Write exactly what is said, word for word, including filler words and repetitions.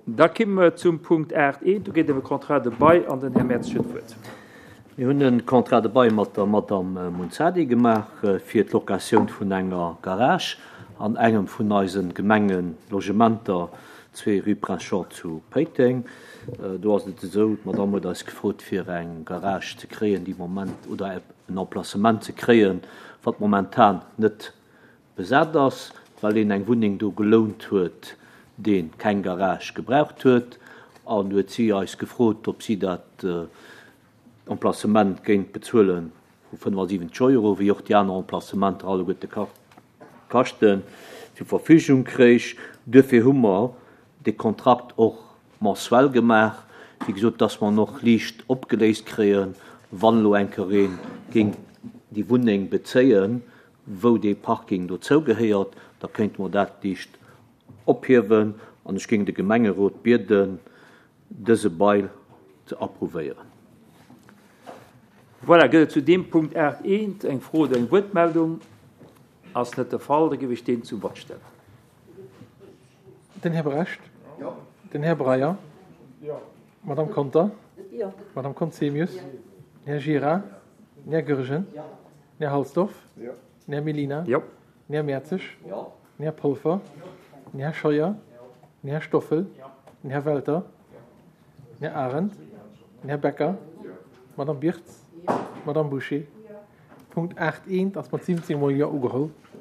Da kimme mer zum Punkt aacht eent. Do geet et ëm e Contrat de bail an den Här Mertz huet d'Wuert. Mir hunn e Contrat de bail mat der Madame Munzadi gemaach fir d'Locatioun vun enger Garage an engem vun eise Gemengelogementer, zwee rue Prince Jean zu Péiteng. Do ass et esou, d'Madame huet eis gefrot, fir eng Garage ze kréien, déi moment, oder en Emplacement ze kréien, wat momentan net besat ass, well een eng Wunneng do gelount huet, dee keng Garage gebraucht huet. An huet si eis gefrot, ob si dat Emplacement géing bezuele vu fënnefasiwwenzeg Euro, wéi och déi aner Emplacementer alleguerte kaschten, zur Verfügung kréich. Duerfir hu mer dee Kontrakt och mensuel gemaach, wéi gesot, dass mer en och liicht opgeléist kréien, wann elo eng Kéier ee géing déi Wunneng bezéien, wou dee Parking dozou gehéiert, da kéinte mer dat liicht ophiewen. An ech géing de Gemengerot bieden, dëse Bail ze approuvéieren. Voilà, gëtt et zu deem Punkt aacht eent eng Fro oder eng Wuertmeldung? Ass net de Fall, da géif ech deen zum Vott stellen. Den Här Brecht. Den Här Breyer. D'Madame Conter. D'Madame Conzemius. Den Här Gira. Den Här Goergen. Den Här Halsdorf. Den Här Mellina. Den Här Mertzig. Den Här Polfer. Den Här Scheuer. Den Här Stoffel. Den Här Welter. Den Här Arendt. Den Här Becker. D'Madame Birtz. D'Madame Bouché. Punkt aacht eent ass mat siwwenzéng Mol Jo ugeholl.